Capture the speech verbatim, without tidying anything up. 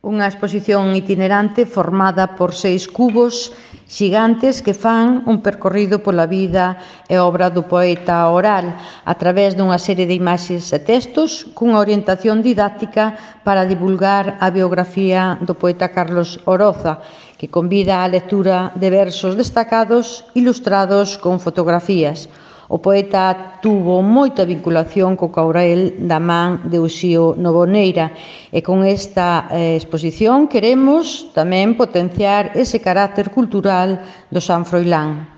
unha exposición itinerante formada por seis cubos xigantes que fan un percorrido pola vida e obra do poeta oral a través dunha serie de imaxes e textos cunha orientación didáctica para divulgar a biografía do poeta Carlos Oroza, que convida á lectura de versos destacados ilustrados con fotografías. O poeta tuvo moita vinculación co Courel da man de Uxío Novoneira e con esta eh, exposición queremos tamén potenciar ese carácter cultural do San Froilán.